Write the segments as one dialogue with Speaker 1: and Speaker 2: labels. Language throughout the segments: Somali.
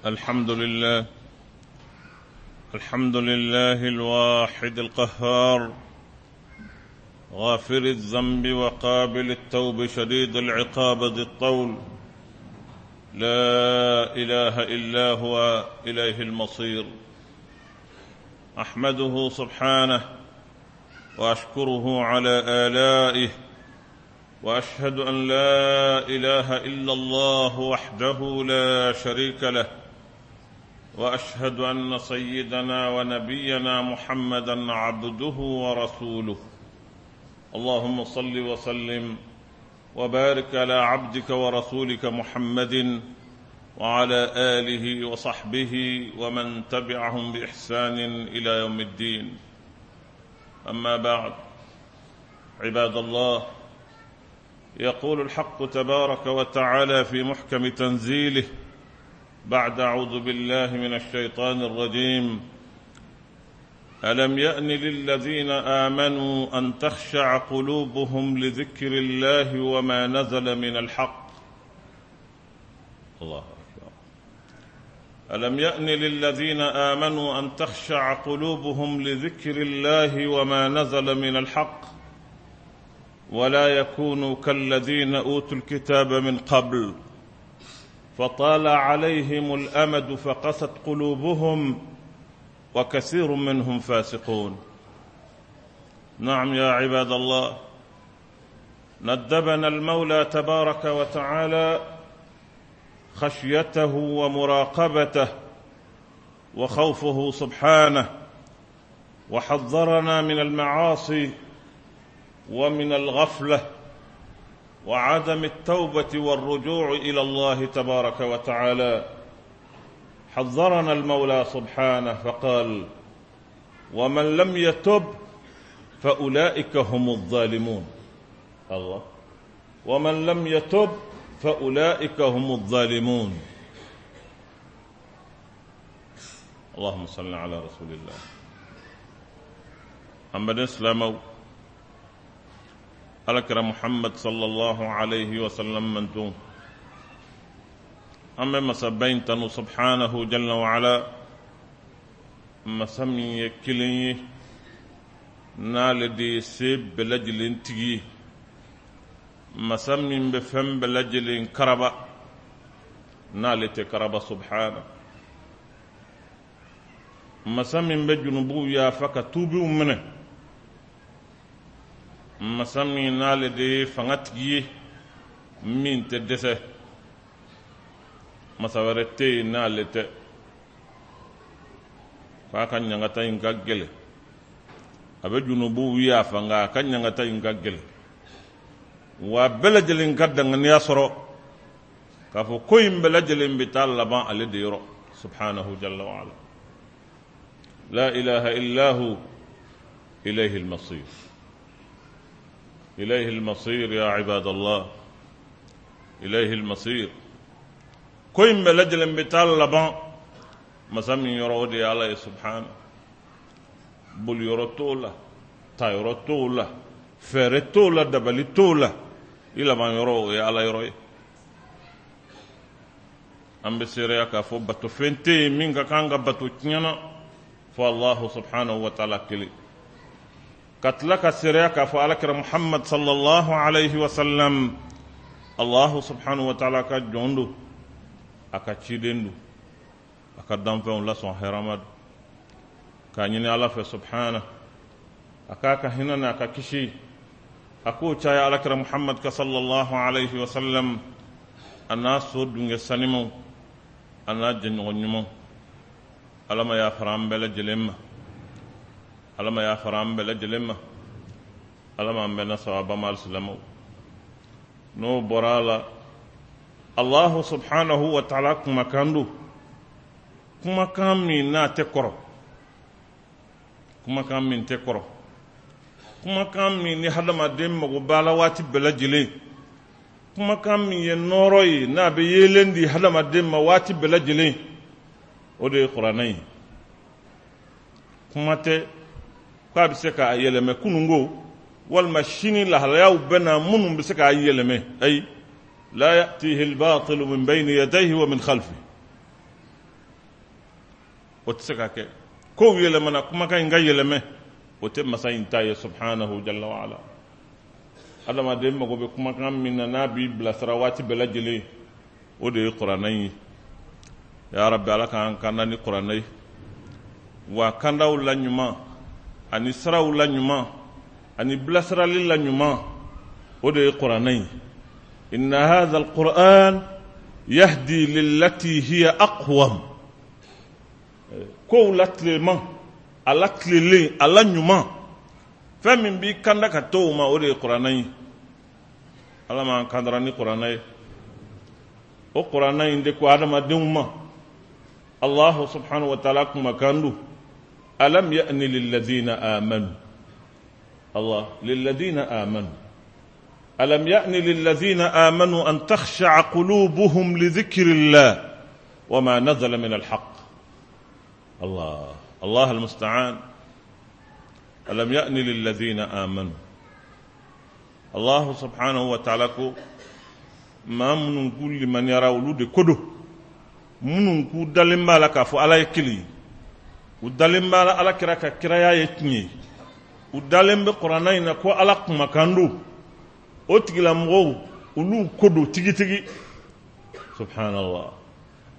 Speaker 1: الحمد لله، الحمد لله الواحد القهار، غافر الذنب وقابل التوب، شديد العقاب ذي الطول، لا إله إلا هو، إليه المصير. أحمده سبحانه وأشكره على آلائه، وأشهد أن لا إله إلا الله وحده لا شريك له، وأشهد أن سيدنا ونبينا محمدا عبده ورسوله. اللهم صل وسلم وبارك على عبدك ورسولك محمد وعلى آله وصحبه ومن تبعهم بإحسان إلى يوم الدين. أما بعد، عباد الله، يقول الحق تبارك وتعالى في محكم تنزيله بعد أعوذ بالله من الشيطان الرجيم: ألم يأن للذين آمنوا أن تخشع قلوبهم لذكر الله وما نزل من الحق. الله أكبر. ألم يأن للذين آمنوا أن تخشع قلوبهم لذكر الله وما نزل من الحق ولا يكونوا كالذين أوتوا الكتاب من قبل فطال عليهم الأمد فقست قلوبهم وكثير منهم فاسقون. نعم يا عباد الله، ندبنا المولى تبارك وتعالى خشيته ومراقبته وخوفه سبحانه، وحذرنا من المعاصي ومن الغفلة وعدم التوبة والرجوع إلى الله تبارك وتعالى. حذرنا المولى سبحانه فقال: ومن لم يتب فأولئك هم الظالمون. الله، ومن لم يتب فأولئك هم الظالمون. اللهم صل على رسول الله. An baden silamɛw, Alakira Muhammad sallallahu alayhi wa sallam manton, an bɛ masaba in tanu subhanahu jalla wa ala, masa min ye kelen ye, n'ale de ye se bɛɛ lajɛlen tigi ye, masa min bɛ fɛn bɛɛ lajɛlen karaba, n'ale tɛ karaba subhana, masa min bɛ junubuw yafa ka tuubiw minɛ, masa min n'ale de ye fanga tigi ye min tɛ dɛsɛ, masa wɛrɛ tɛ yen n'ale tɛ. K'a ka ɲangata in ka gɛlɛn, a bɛ junubuw yafa, nka a ka ɲangata in ka gɛlɛn, wa bɛɛ lajɛlen ka danganiya sɔrɔ k'a fɔ ko in bɛɛ lajɛlen bɛ taa laban ale de yɔrɔ subhanahu jalla wa ala. La ilaha illa hu, ilayhi al-masir. إليه المصير يا عباد الله، إليه المصير. Ko in bɛɛ lajɛlen bɛ taa laban masa min yɔrɔ, o de ye Ala ye subhana. Boliyɔrɔ t'o la, tayɔrɔ t'o la, fɛɛrɛ t'o la, dabali t'o la, i laban yɔrɔ o ye Ala yɔrɔ ye. An bɛ seereya k'a fɔ batofɛn tɛ yen min ka kan ka bato tiɲɛ na fo Allahu subhanahu wa taala kelen, ka tila ka seereya k'a fɔ Alakira Muhammad sallallahu alayhi wa sallam Allahu subhanahu wa taala ka jɔn don, a ka ciden don, a ka danfɛnw lasɔn hɛrɛma don. K'a ɲini Ala fɛ subhana a k'a ka hinɛ n'a ka kisi a k'o caya Alakira Muhammad ka sallallahu alayhi wa sallam, a n'a so dungɛ sanimaw, a n'a jɛɲɔgɔn ɲumanw. Ala ma yafara an bɛɛ lajɛlen ma, Ala ma yafara an bɛɛ lajɛlen ma, Ala ma an bɛɛ na sawaba ma. Alisilamɛw, n'o bɔra a la, Allahu subhanahu wa taala kumakan don, kumakan min n'a tɛ kɔrɔ, kumakan min tɛ kɔrɔ, kumakan min ni hadamaden mago b'a la waati bɛɛ lajɛlen, kumakan min ye nɔɔrɔ ye n'a bɛ yeelen di hadamaden ma waati bɛɛ lajɛlen, o de ye kuranɛ ye. Kuma tɛ k'a bɛ se k'a yɛlɛmɛ kununko walima sini lahalayaw bɛ na minnu bɛ se k'a yɛlɛmɛ. Ayi, la ya'tihi al-batilu min bayni yadayhi wa min khalfihi. O tɛ se ka kɛ. Kow yɛlɛmana, kumakan in ka yɛlɛmɛ, o tɛ masa in ta ye, subhanahu jalla wa ala. Adamaden mago bɛ kumakan min na, n'a b'i bilasira waati bɛɛ lajɛlen, o de ye kuranɛ in ye. Ya rabbi, Ala k'an kanda ni kuranɛ ye, wa kandaw la ɲuman ani siraw la ɲuman ani bilasirali la ɲuman, o de ye kuranɛ ye. Inna hadha alquran yahdi lillati hiya aqwam. Kow la tileman, a la tilelen, a la ɲuman, fɛn min b'i kanda ka to o ma, o de ye kuranɛ ye. Ala m'an kandara ni kuranɛ ye. O kuranɛ in de ko adamadenw ma, Allahu subhanahu wa taala kumakan don: alam ya'ni lilladhina amanu, Allah, lilladhina amanu, alam ya'ni lilladhina amanu an takhsha'a qulubuhum li dhikrillah wa ma nazala min alhaq. Allah, Allah almusta'an. Alam ya'ni lilladhina amanu, Allah subhanahu wa ta'ala ko maa minnu k'u limaniyara, olu de ko don, minnu k'u dalen b'a la k'a fɔ Ala ye kelen ye, u dalen b'a la Ala kira ka kiraya ye tiɲɛ ye, u dalen bɛ kuranɛ in na ko Ala kumakan don, o tigilamɔgɔw, olu ko don tigitigi. Subhanallah,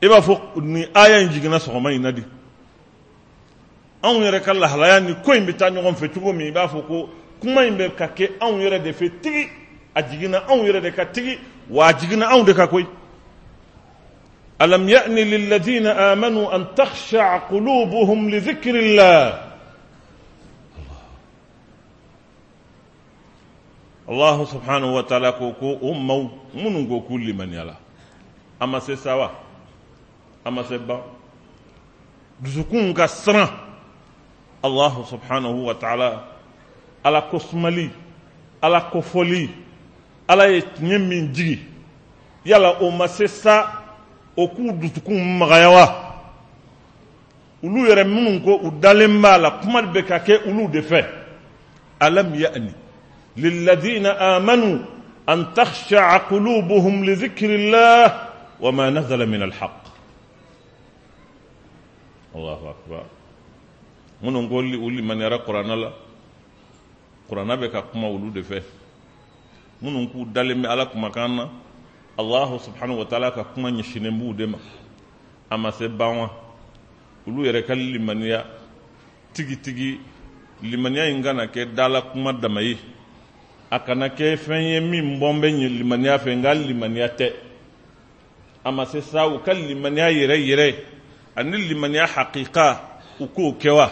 Speaker 1: i b'a fɔ nin aya in jiginna sɔgɔma in na di. Anw yɛrɛ ka lahalaya ni ko in bɛ taa ɲɔgɔn fɛ cogo min, i b'a fɔ ko kuma in bɛ ka kɛ anw yɛrɛ de fɛ tigi, a jiginna anw yɛrɛ de ka tigi, wa a jiginna anw de ka koyi. Alam ya'ni lilladhina amanu an takhsha'a qulubuhum li dhikrillah. Allah subhanahu wa ta'ala ko ko o maaw minnu ko k'u limaniyala, a ma se sa wa, a ma se ban dusukun ka siran Allah subhanahu wa ta'ala, Ala ko sumali, Ala kofɔli, Ala ye tiɲɛ min jigi, yala o ma se sa o k'u dusukun magaya wa? Olu yɛrɛ minnu ko u dalen b'a la, kuma bɛ ka kɛ olu de fɛ. Alam ya'ni lilladhina amanu an takhsha'a qulubuhum li dhikrillah wa ma nazala min alhaq. Allahu akbar. Minnu ko u limaniyara kuranɛ la, kuranɛ bɛ ka kuma olu de fɛ. Minnu k'u dalen bɛ Ala kumakan na, Allahu subhanahu wa ta'ala ka kuma ɲɛsinnen b'u de ma. A ma se ban wa olu yɛrɛ ka limaniya tigitigi? Limaniya in kana kɛ dala kuma dama ye, a kana kɛ fɛn ye min bɔn bɛ ɲɛ limaniya fɛ, nka limaniya tɛ. A ma se sa u ka limaniya yɛrɛ yɛrɛ ani limaniya hakika, u k'o kɛ wa?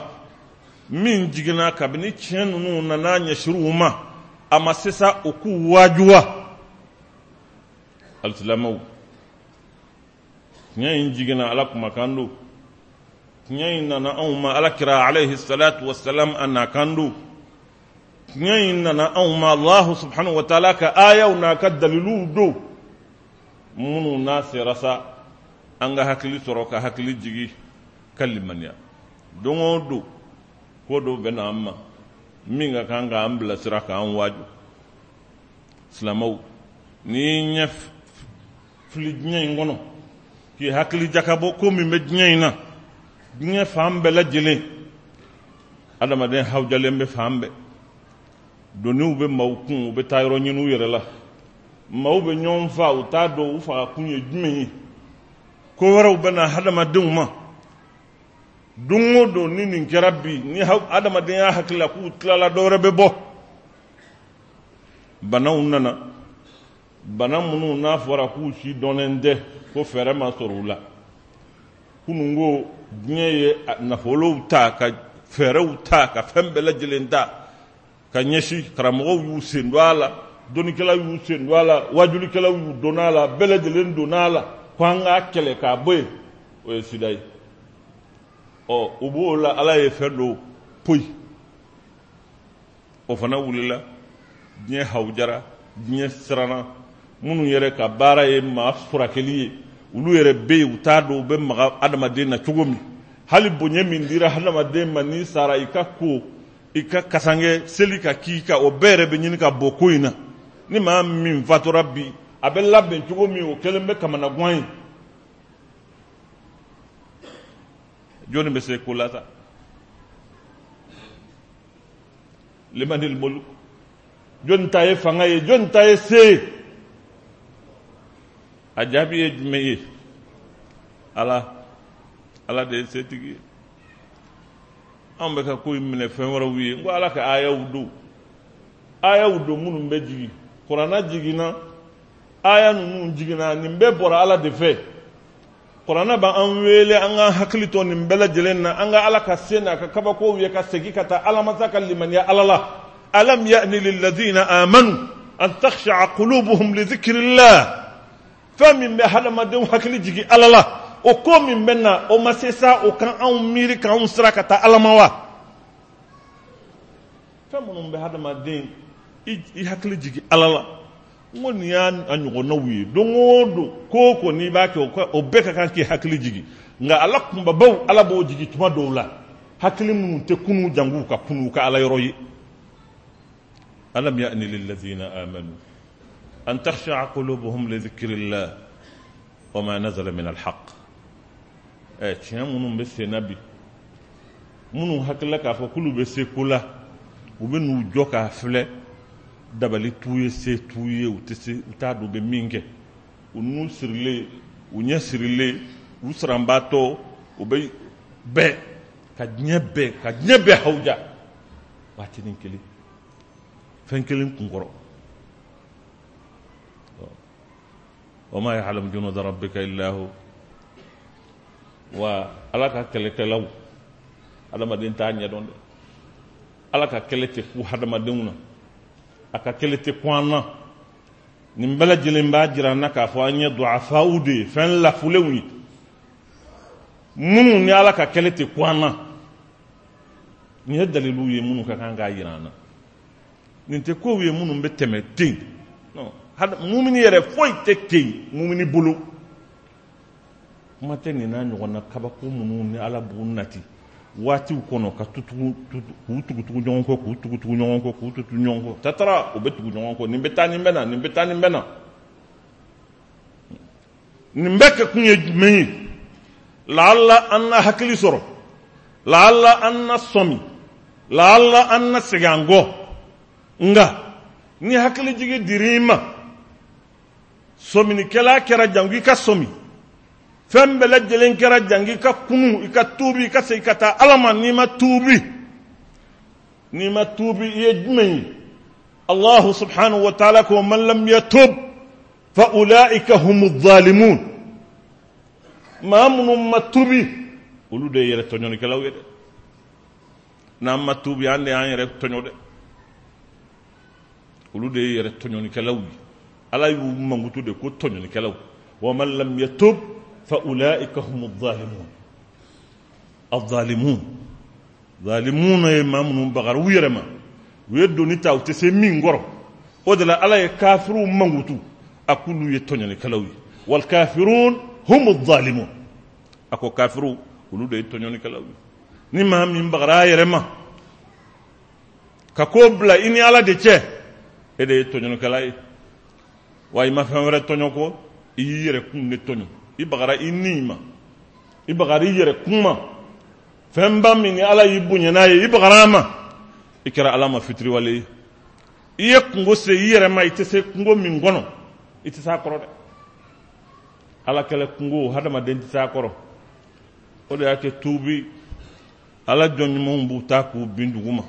Speaker 1: Min jiginna kabini tiɲɛ ninnu nana ɲɛsiriw ma, a ma se sa u k'u waaju wa? Alisilamɛw, tiɲɛ in jiginna, Ala kumakan don. Tiɲɛ in nana anw ma, Ala kira alayhi salatu wasalam a nakan don. Tiɲɛ in nana anw ma, Allahu subhanahu wa ta'ala ka ayaw n'a ka daliluw don, minnu n'a sera sa an ka hakili sɔrɔ, ka hakili jigi, ka limaniya. Don o don, ko dɔ bɛ na an ma min ka kan k'an bilasira, k'an waaju. Silamɛw, n'i ɲɛ fili diɲɛ in kɔnɔ, k'i hakili jakabɔ ko min bɛ diɲɛ in na, diɲɛ fan bɛɛ lajɛlen, adamaden hawujalen bɛ fan bɛɛ, doniw bɛ maaw kun, u bɛ taa yɔrɔ ɲini u yɛrɛ la, maaw bɛ ɲɔgɔn fa, u t'a dɔn u faga kun ye jumɛn ye, ko wɛrɛw bɛ na hadamadenw ma don o don. Ni nin kɛra bi, ni adamadenya hakili la k'u tilala, dɔ wɛrɛ bɛ bɔ. Banaw nana, bana minnu n'a fɔra k'u si dɔnnen tɛ, ko fɛɛrɛ ma sɔrɔ u la. Kununko diɲɛ ye nafolow ta, ka fɛɛrɛw ta, ka fɛn bɛɛ lajɛlen ta ka ɲɛsin. Karamɔgɔw y'u sen don a la, dɔnnikɛlaw y'u sen don a la, wajulikɛlaw y'u donna a la, bɛɛ lajɛlen donna a la ko an k'a kɛlɛ k'a bɔ yen. O ye sida ye. Ɔ, u b'o la, Ala ye fɛn dɔ poyi, o fana wulila. Diɲɛ hawujara, diɲɛ siranna. Minnu yɛrɛ ka baara ye maa furakɛli ye, olu yɛrɛ bɛ yen, u t'a dɔn u bɛ maga adamaden na cogo min. Hali bonya min dira hadamaden ma, n'i sara, i ka ko, i ka kasange seli ka k'i ka, o bɛɛ yɛrɛ bɛ ɲini ka bɔ ko in na. Ni maa min fatura bi, a bɛ labɛn cogo min, o kɛlen bɛ kamanagan ye. Jɔnni bɛ se ko la sa? Limanil mulk, jɔnni ta ye fanga ye, jɔnni ta ye se ye? A jaabi ye jumɛn ye? Ala, Ala de ye setigi ye. Anw bɛ ka ko in minɛ fɛn wɛrɛw ye. N ko Ala ka ayaw don, ayaw don minnu bɛ jigin. Kuranna jiginna, aya ninnu jiginna, nin bɛɛ bɔra Ala de fɛ. Kuranna b'an wele an k'an hakili to nin bɛɛ lajɛlen na, an ka Ala ka se n'a ka kabakow ye, ka segin ka taa Ala masa ka limaniya Ala la. Alam ya'ni lilladhina amanu an takhsha'a qulubuhum li dhikrillah. Fɛn min bɛ hadamadenw hakili jigin Ala la, o ko min bɛ na, o ma se sa o kan anw miiri k'anw sira ka taa Ala ma wa? Fɛn minnu bɛ hadamaden i hakili jigin Ala la, n ko nin y'a ɲɔgɔnnaw ye. Don o don, ko o ko n'i b'a kɛ, o bɛɛ ka kan k'i hakili jigin. Nka ala kunbabaw, Ala b'o jigin tuma dɔw la, hakili minnu tɛ kunu jangu ka kunu ka Ala yɔrɔ ye. Alam ya'ni lillazina amanu an takhsha'a qulubuhum li dhikrillah wa ma nazala min alhaq. Ɛ, tiɲɛ minnu bɛ sen na bi, minnu hakilila k'a fɔ k'olu bɛ se ko la, u bɛ n'u jɔ k'a filɛ, dabali t'u ye, se t'u ye, u tɛ se, u t'a dɔn u bɛ min kɛ. U nun sirilen, u ɲɛ sirilen, u siranbaatɔ, u bɛ bɛɛ ka diɲɛ bɛɛ ka diɲɛ bɛɛ hawuja waatinin kelen, fɛn kelen kunkɔrɔ. Wa ma ya'lamu junuda rabbika illa hu. Wa Ala ka kɛlɛkɛlaw, adamaden t'a ɲɛdɔn dɛ. Ala ka kɛlɛ tɛ ku hadamadenw na, a ka kɛlɛ tɛ ku an na. Nin bɛɛ lajɛlen b'a jira an na k'a fɔ an ye duafaw de ye, fɛn lafulenw ye, minnu ni Ala ka kɛlɛ tɛ ku an na. Nin ye daliluw ye minnu ka kan k'a jira an na. Nin tɛ kow ye minnu bɛ tɛmɛ ten. Non, mumini yɛrɛ foyi tɛ ten mumini bolo. Kuma tɛ nin n'a ɲɔgɔnna kabako minnu ni Ala b'u nati waatiw kɔnɔ ka tutugu, k'u tugutugu ɲɔgɔn kɔ, k'u tugutugu ɲɔgɔn kɔ, k'u tugu ɲɔgɔn kɔ, tatara u bɛ tugu ɲɔgɔn kɔ, nin bɛ taa, nin bɛ na, nin bɛ taa, nin bɛ na. Nin bɛɛ kɛ kun ye jumɛn ye? Laala an na hakili sɔrɔ, laala an na sɔmi, laala an na segin an kɔ. Nka ni hakilijigi dir'i ma, sɔminikɛla kɛra jango i ka sɔmi, fɛn bɛɛ lajɛlen kɛra jango i ka kunu, i ka tuubi, i ka segin ka taa Ala ma. N'i ma tuubi, n'i ma tuubi, i ye jumɛn ye? Allahu subhanahu wa ta'ala ko man lam yatub fa ulaika humu zalimun. Maa minnu ma tuubi, olu de ye yɛrɛ tɔɲɔnikɛlaw ye dɛ. N'an ma tuubi, an de y'an yɛrɛ tɔɲɔ dɛ. Olu de ye yɛrɛ tɔɲɔnikɛlaw ye. Ala y'u mankutu de ko tɔɲɔnikɛlaw. Wa man lam yatub fa ulaika humu zalimun. Azalimun, zalimun ye maa minnu bagara u yɛrɛ ma, u ye doni ta u tɛ se min kɔrɔ. O de la Ala ye kafiriw mankutu, a k'olu ye tɔɲɔnikɛlaw ye. Wal kafirun humu zalimun. A ko kafiriw, olu de ye tɔɲɔnikɛlaw ye. Ni maa min bagara a yɛrɛ ma ka ko bila i ni Ala de cɛ, e de ye tɔɲɔnikɛla ye. Wa i ma fɛn wɛrɛ tɔɲɔ ko i y'i yɛrɛ kun de tɔɲɔ. I bagara i ni ma, i bagara i yɛrɛ kun ma. Fɛnba min ni Ala y'i bonya n'a ye, i bagara a ma, i kɛra Ala ma fitiriwale ye. I ye kungo se i yɛrɛ ma, i tɛ se kungo min kɔnɔ, i tɛ se a kɔrɔ dɛ. Ala kɛlɛ kungo, hadamaden tɛ se a kɔrɔ. O de y'a kɛ tuubi, Ala jɔn ɲumanw b'u ta k'u bin dugu ma,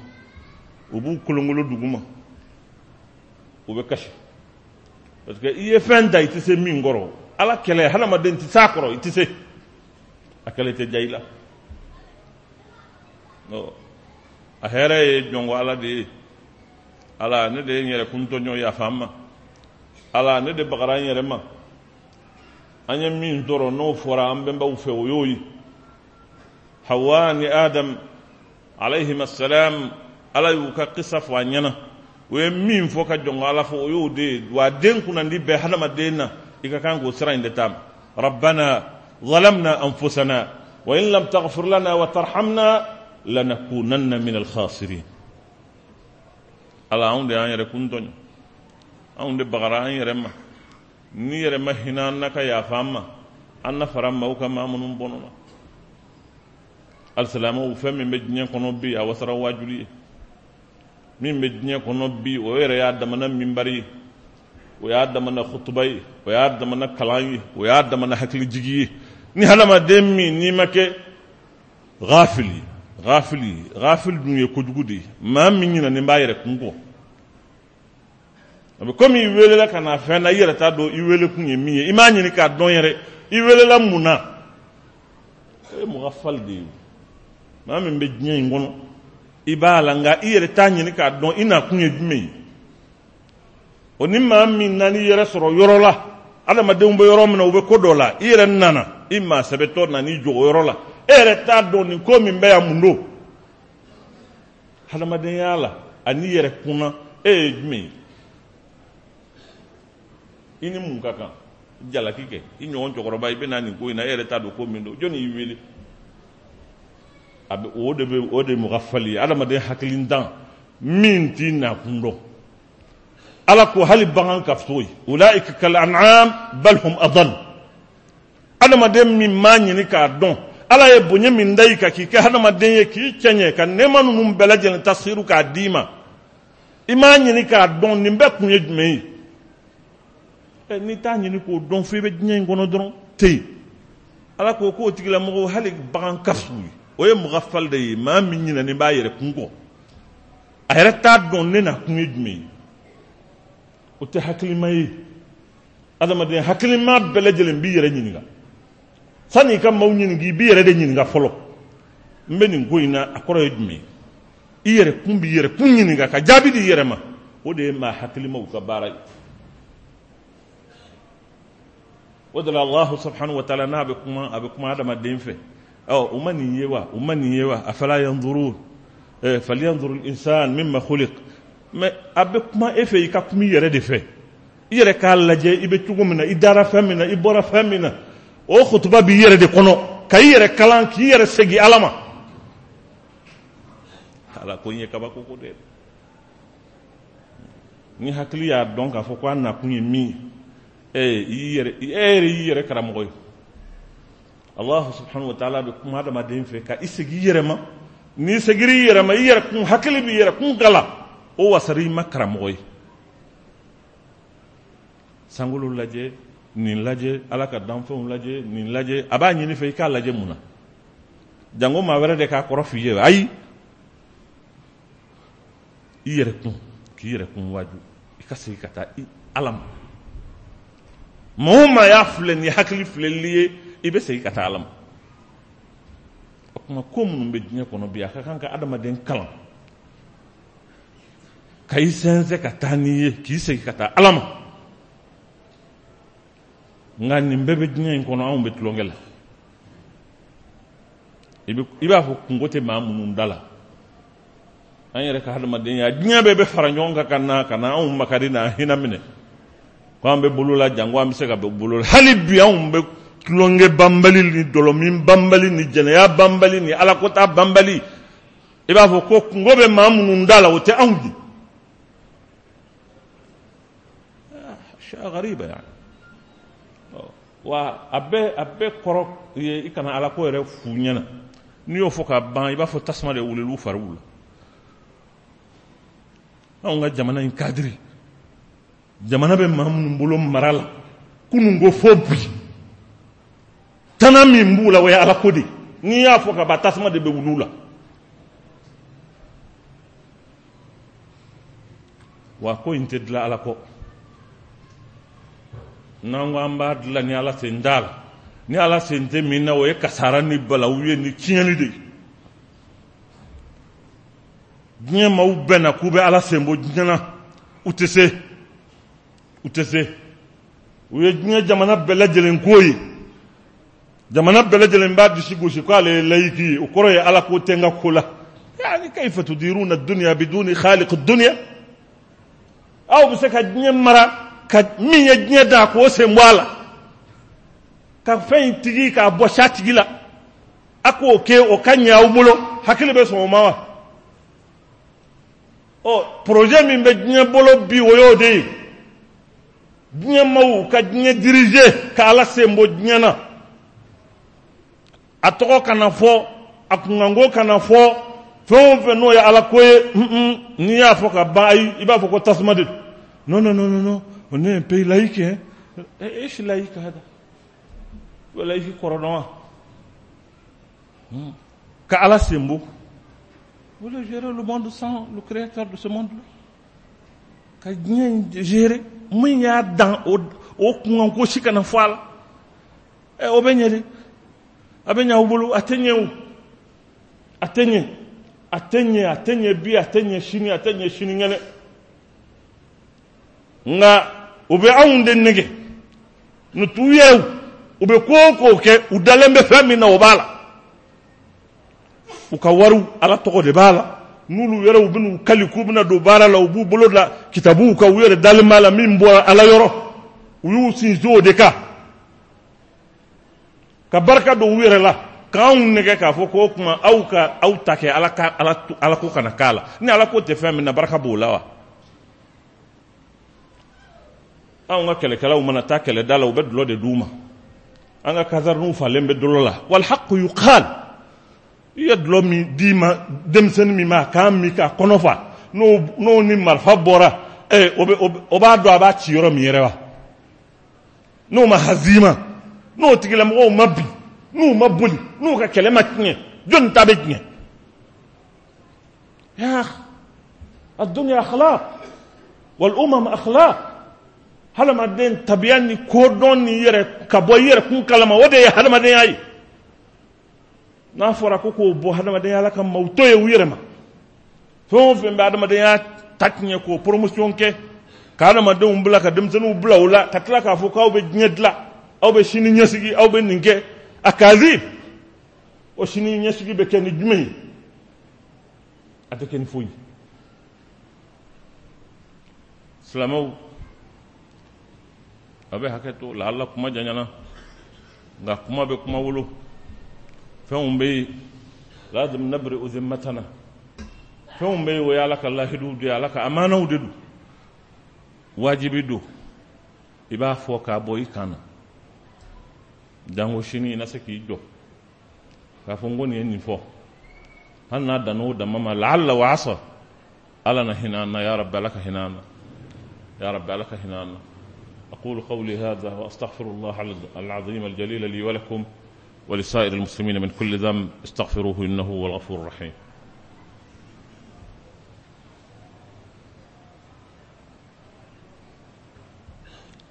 Speaker 1: u b'u kolonkolon dugu ma, u bɛ kasi, parce que i ye fɛn ta i tɛ se min kɔrɔ. Ala kɛlɛ, hadamaden tɛ se a kɔrɔ, i tɛ se a kɛlɛ tɛ diya i la. A hɛrɛ ye jɔnko Ala de ye. Ala, ne de ye n yɛrɛ kun tɔɲɔ, yafa n ma. Ala, ne de bagara n yɛrɛ ma. An ye min sɔrɔ n'o fɔra an bɛnbaw fɛ, o y'o ye. Hawa ni Adam alayhim assalam, Ala y'u ka kisa fɔ an ɲɛna. U ye min fɔ ka jɔnko Ala fɔ, o y'o de ye. Wa den kunnandi bɛɛ hadamaden na, i ka kan k'o sira in de taama. Rabbana zalamna anfusana wa in lam taghfir lana wa tarhamna lanakunanna min alkhasirin. Ala, anw de y'an yɛrɛ kun tɔɲɔ, anw de bagara an yɛrɛ ma. N'i yɛrɛ ma hinɛ an na ka yafa an ma, an na fara maaw kan maa minnu bɔnɔ na. Alisilamɛw, fɛn min bɛ diɲɛ kɔnɔ bi, a wasara waajuli ye. Min bɛ diɲɛ kɔnɔ bi, o yɛrɛ y'a damana minbari ye, o y'a damana kutuba ye, o y'a damana kalan ye, o y'a damana hakilijigi ye. Ni hadamaden min n'i ma kɛ ghafili, ghafili, ghafili dun ye kojugu de ye, maa min ɲinɛnen b'a yɛrɛ kun kɔ, a bɛ komi i welela ka na fɛn na, i yɛrɛ t'a dɔn i wele kun ye min ye, i m'a ɲini k'a dɔn yɛrɛ i welela mun na. O ye mugafali de ye. Maa min bɛ diɲɛ in kɔnɔ, i b'a la, nka i yɛrɛ t'a ɲini k'a dɔn i nakun ye jumɛn ye. O ni maa min nan'i yɛrɛ sɔrɔ yɔrɔ la, adamadenw bɛ yɔrɔ min na, u bɛ ko dɔ la, i yɛrɛ nana, i maa sɛbɛtɔ nan'i jɔ o yɔrɔ la, e yɛrɛ t'a dɔn nin ko min bɛ yan mun don. Hadamadenya la ani yɛrɛ kunna, e ye jumɛn ye? I ni mun ka kan? Jalaki kɛ i ɲɔgɔn cɛkɔrɔba, i bɛ na nin ko in na, e yɛrɛ t'a dɔn ko min don, jɔnni y'i wele? A bɛ o de bɛ o de mugafali ye, adamaden hakilintan min t'i nakun dɔn. Ala ko hali bagan ka fisa o ye, ulaika kal an'am bal hum adall. Adamaden min m'a ɲini k'a dɔn Ala ye bonya min da i kan k'i kɛ hadamaden ye, k'i cɛɲɛ ka nɛɛma ninnu bɛɛ lajɛlen tasiru k'a d'i ma, i m'a ɲini k'a dɔn nin bɛɛ kun ye jumɛn ye. N'i t'a ɲini k'o dɔn, fo i bɛ diɲɛ in kɔnɔ dɔrɔn ten. Ala ko k'o tigilamɔgɔw hali bagan ka fisa u ye. O ye mugafali de ye, maa min ɲinɛnen b'a yɛrɛ kun kɔ, a yɛrɛ t'a dɔn ne na kun ye jumɛn ye. O tɛ hakilima ye. Adamaden hakilima bɛɛ lajɛlen b'i yɛrɛ ɲininka. Sani i ka maaw ɲininka, i b'i yɛrɛ de ɲininka fɔlɔ. N bɛ nin ko in na, a kɔrɔ ye jumɛn ye? I yɛrɛ kun b'i yɛrɛ kun ɲininka ka jaabi di i yɛrɛ ma. O de ye maa hakilimaw ka baara ye. O de la Allahu subhanahu wa ta'ala n'a bɛ kuma, a bɛ kuma adamaden fɛ. Ɔ, u ma nin ye wa? U ma nin ye wa? Afala yanzurun, falyanzuru al-insan mimma khuliq. Mais a bɛ kuma e fɛ, i ka kuma i yɛrɛ de fɛ. I yɛrɛ k'a lajɛ i bɛ cogo min na, i dara fɛn min na, i bɔra fɛn min na. O kutuba b'i yɛrɛ de kɔnɔ, ka i yɛrɛ kalan, k'i yɛrɛ segin Ala ma. Ala ko in ye kabako ko de ye. Ni hakili y'a dɔn k'a fɔ ko a nakun ye min ye, i yɛrɛ, e yɛrɛ y'i yɛrɛ karamɔgɔ ye. Allah subhanahu wa ta'ala bɛ kuma adamaden fɛ ka i segin i yɛrɛ ma. N'i seginna i yɛrɛ ma, i yɛrɛ kun hakili b'i yɛrɛ kun kalan, o wasara i ma karamɔgɔ ye. Sankolo lajɛ, nin lajɛ, Ala ka danfɛnw lajɛ, nin lajɛ, a b'a ɲini fɛ i k'a lajɛ mun na? Jango maa wɛrɛ de k'a kɔrɔ f'i ye. Ayi, i yɛrɛ kun, k'i yɛrɛ kun waaju, i ka segin ka taa i Ala ma. Maa o maa y'a filɛ ni hakili filɛli ye, i bɛ segin ka taa Ala ma. O tuma ko minnu bɛ diɲɛ kɔnɔ bi, a ka kan ka adamaden kalan ka i sɛnsɛn ka taa n'i ye, k'i segin ka taa Ala ma. Nka nin bɛɛ bɛ diɲɛ in kɔnɔ, anw bɛ tulonkɛ la. I b'a fɔ kunko tɛ maa minnu da la, an yɛrɛ ka hadamadenya, diɲɛ bɛɛ bɛ fara ɲɔgɔn kan ka na anw makari n'an hinɛ minɛ ko an bɛ bolo la, janko an bɛ se ka bɔ bolo la. Hali bi anw bɛ tulonkɛ banbali ni dɔlɔmin banbali ni jɛnɛya banbali ni alakota banbali. I b'a fɔ ko kunko bɛ maa minnu da la, o tɛ anw ye. Shay'a ghariba yani. Wa a bɛɛ kɔrɔ ye i kana alako yɛrɛ f'u ɲɛna. N'i y'o fɔ ka ban, i b'a fɔ tasuma de wulila u fariw la. Anw ka jamana in kadiri, jamana bɛ maa minnu bolo mara la kunun ko fo bi, tana min b'u la, o ye alako de ye. N'i y'a fɔ ka ban, tasuma de bɛ wuli u la. Wa ko in tɛ dilan ala kɔ. N'an ko an b'a dilan ni ala sen t'a la, ni ala sen tɛ min na, o ye kasara ni balawu ye ni tiɲɛni de ye. Diɲɛ maaw bɛɛ na k'u bɛ ala sen bɔ diɲɛ na, u tɛ se, u tɛ se. U ye diɲɛ jamana bɛɛ lajɛlen ko ye. Jamana bɛɛ lajɛlen b'a disi gosi k'ale ye layiki ye, o kɔrɔ ye ala ko tɛ n ka ko la. Yani kayfa tudiruna dunya biduni khaliq dunya? Aw bɛ se ka diɲɛ mara ka min ye diɲɛ da k'o sen bɔ a la, ka fɛn in tigi k'a bɔ sa tigi la, a k'o kɛ o ka ɲɛ aw bolo, hakili bɛ sɔn o ma wa? Ɔ, projet min bɛ diɲɛ bolo bi, o y'o de ye. Diɲɛ maaw ka diɲɛ diriger ka ala sen bɔ diɲɛ na, a tɔgɔ kana fɔ, A kunkanko kana fɔ fɛn o fɛn n'o ye ala ko ye, n'i y'a fɔ ka ban, ayi, i b'a fɔ ko tasuma de don. Non, non, non, non, non, on est un pays laïque, hein. إيش laïque هذا؟ Laïque kɔrɔ dɔn wa? Ka ala sen bɔ. Vous voulez gérer le monde sans le créateur de ce monde-là? Ka diɲɛ in gérer, min y'a dan, o kunkanko si kana fɔ a la. Ɛ, o bɛ ɲɛ de? A bɛ ɲɛ aw bolo? A tɛ ɲɛ o, a tɛ ɲɛ, a tɛ ɲɛ, a tɛ ɲɛ bi, a tɛ ɲɛ sini, a tɛ ɲɛ sinikɛnɛ. Nka u bɛ anw de nɛgɛ n'u t'u yɛrɛw. U bɛ ko o ko kɛ, u dalen bɛ fɛn min na, o b'a la. U ka wariw, ala tɔgɔ de b'a la. N'olu yɛrɛw bɛn'u kali k'u bɛna don baara la, u b'u bolo da kitabuw kan, u yɛrɛ dalen b'a la min bɔra ala yɔrɔ. U y'u sinsin o de kan ka barika don u yɛrɛ la, k'anw nɛgɛ k'a fɔ k'o tuma aw ka aw ta kɛ ala ka ala ko kana k'a la. Ni ala ko tɛ fɛn min na, barika b'o la wa? Anw ka kɛlɛkɛlaw mana taa kɛlɛda la, u bɛ dɔlɔ de d'u ma. An ka kasariniw falen bɛ dɔlɔ la. Wal haqqu yuqal. I ye dɔlɔ min d'i ma, denmisɛnnin min ma a k'a min k'a kɔnɔ fa, n'o ni marifa bɔra, ɛ, o b'a dɔn a b'a ci yɔrɔ min yɛrɛ wa? N'o ma hazima, n'o tigilamɔgɔw ma bin, n'u ma boli, n'u ka kɛlɛ ma tiɲɛ, jɔnni ta bɛ tiɲɛ? Ya الدنيا أخلاق والأمم أخلاق. Hadamaden tabiya ni kodɔn ni yɛrɛ ka bɔ i yɛrɛ kun kalama, o de ye hadamadenya ye. N'a fɔra ko k'o bɔ hadamadenya la ka maaw to yen u yɛrɛ ma, fɛn o fɛn bɛ hadamadenya ta tiɲɛ, k'o promotion kɛ, ka hadamadenw bila, ka denmisɛnninw bila o la, ka tila k'a fɔ k'aw bɛ diɲɛ dilan, aw bɛ sini ɲɛsigi, aw bɛ nin kɛ, a kazi o sini ɲɛsigi bɛ kɛ ni jumɛn ye? A tɛ kɛ ni foyi. Silamɛw, a bɛ hakɛ to lahala, kuma janyana, nka kuma bɛ kuma wolo. Fɛnw bɛ yen, lazim nabri'u zimmatana. Fɛnw bɛ yen, o ye ala ka lahiduw de ye, ala ka amanaw de don. Wajibi don i b'a fɔ k'a bɔ i kan na, jango sini i na se k'i jɔ k'a fɔ n ko nin ye nin fɔ. Hali n'a dan'o dama ma, laala wa asa, ala na hinɛ an na. Ya rabbi, ala ka hinɛ an na. Ya rabbi, ala ka hinɛ an na. أقول قولي هذا وأستغفر الله العظيم الجليل لي ولكم ولسائر المسلمين من كل ذنب، استغفروه إنه هو الغفور الرحيم.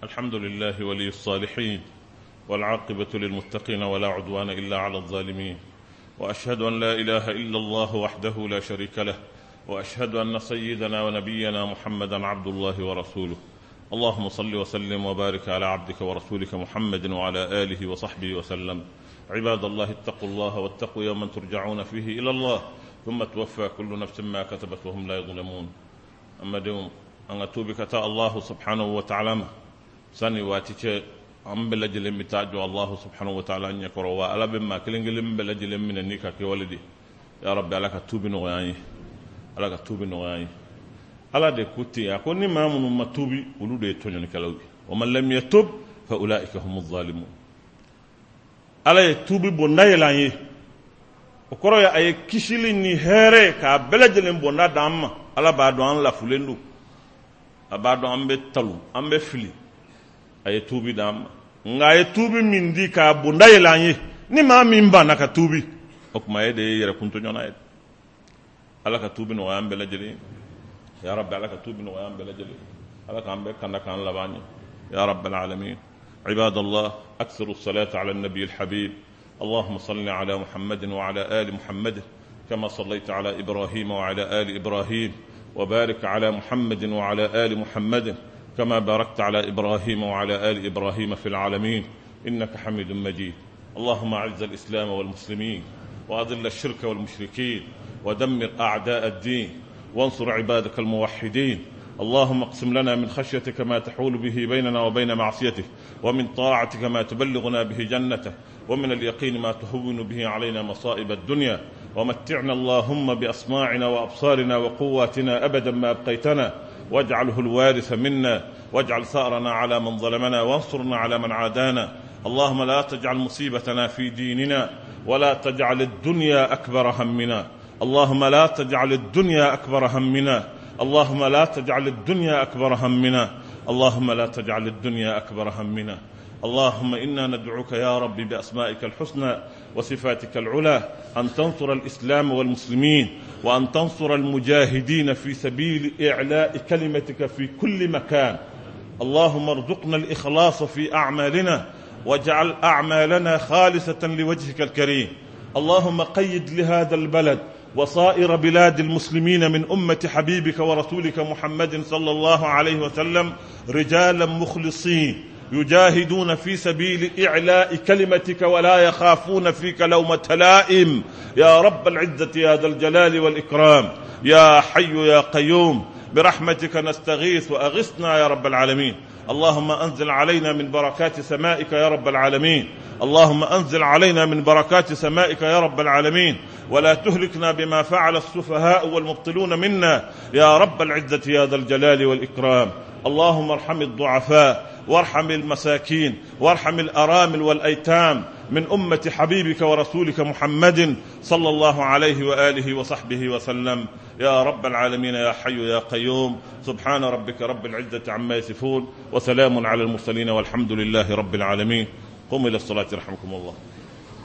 Speaker 1: الحمد لله ولي الصالحين، والعاقبة للمتقين، ولا عدوان إلا على الظالمين، وأشهد أن لا إله إلا الله وحده لا شريك له، وأشهد أن سيدنا ونبينا محمدا عبد الله ورسوله. اللهم صل وسلم وبارك على عبدك ورسولك محمد وعلى آله وصحبه وسلم. عباد الله، اتقوا الله واتقوا يوما ترجعون فيه إلى الله، ثم توفى كل نفس ما كسبت وهم لا يظلمون. أما دوم أن توبك تا الله سبحانه وتعالى sani waati cɛ, an bɛɛ lajɛlen bɛ taa jɔ Allahu subhanahu wa ta'ala ɲɛkɔrɔ. Wa ala bɛ maa kelen kelen bɛɛ lajɛlen minɛ n'i ka kɛwale de. Ya rabbi, ala ka tuubi nɔgɔya an ye, ala ka tuubi nɔgɔya an ye. Ala de ko ten, a ko ni maa minnu ma tuubi, olu de ye tɔɲɔnikɛlaw ye. Wa man lam yatub fa ulaika humu zalimun. Ala ye tuubi bonda yɛlɛ an ye, o kɔrɔ ye a ye kisili ni hɛrɛ k'a bɛɛ lajɛlen bonda d'an ma. Ala b'a dɔn an lafulen don, a b'a dɔn an bɛ talon, an bɛ fili, a ye tuubi d'an ma. Nka a ye tuubi min di k'a bonda yɛlɛ an ye, ni maa min banna ka tuubi, o tuma e de ye yɛrɛkun tɔɲɔna ye. Ala ka tuubi nɔgɔya an bɛɛ lajɛlen. Ya rabbi, ala ka tuubi nɔgɔya an bɛɛ lajɛlen. Ala k'an bɛɛ kanda k'an laban ɲɛ. Ya rabbal alamin. عباد الله، أكثروا الصلاة على النبي الحبيب. اللهم صل على محمد وعلى آل محمد كما صليت على إبراهيم وعلى آل إبراهيم، وبارك على محمد وعلى آل محمد كما باركت على إبراهيم وعلى آل إبراهيم في العالمين إنك حميد مجيد. اللهم أعز الإسلام والمسلمين، وأذل الشرك والمشركين، ودمر أعداء الدين، وانصر عبادك الموحدين. اللهم اقسم لنا من خشيتك ما تحول به بيننا وبين معصيتك، ومن طاعتك ما تبلغنا به جنتك، ومن اليقين ما تهون به علينا مصائب الدنيا. ومتعنا اللهم بأسماعنا وأبصارنا وقواتنا أبدا ما أبقيتنا، واجعله الوارث منا، واجعل ثأرنا على من ظلمنا، وانصرنا على من عادانا. اللهم لا تجعل مصيبتنا في ديننا، ولا تجعل الدنيا أكبر همنا. اللهم لا تجعل الدنيا أكبر همنا. اللهم لا تجعل الدنيا أكبر همنا. اللهم لا تجعل الدنيا أكبر همنا. اللهم إنا ندعوك يا رب بأسمائك الحسنى وصفاتك العلى أن تنصر الإسلام والمسلمين، وأن تنصر المجاهدين في سبيل إعلاء كلمتك في كل مكان. اللهم ارزقنا الإخلاص في أعمالنا، واجعل أعمالنا خالصة لوجهك الكريم. اللهم قيد لهذا البلد وصائر بلاد المسلمين من أمة حبيبك ورسولك محمد صلى الله عليه وسلم رجالا مخلصين يجاهدون في سبيل إعلاء كلمتك ولا يخافون فيك لومة لائم، يا رب العزة يا ذا الجلال والإكرام، يا حي يا قيوم، برحمتك نستغيث وأغثنا يا رب العالمين. اللهم أنزل علينا من بركات سمائك يا رب العالمين. اللهم أنزل علينا من بركات سمائك يا رب العالمين، ولا تهلكنا بما فعل السفهاء والمبطلون منا يا رب العزة يا ذا الجلال والإكرام. اللهم ارحم الضعفاء، وارحم المساكين، وارحم الأرامل والأيتام من أمة حبيبك ورسولك محمد صلى الله عليه وآله وصحبه وسلم يا رب العالمين يا حي يا قيوم. سبحان ربك رب العزة عما يصفون، وسلام على المرسلين، والحمد لله رب العالمين. قوموا إلى الصلاة رحمكم الله.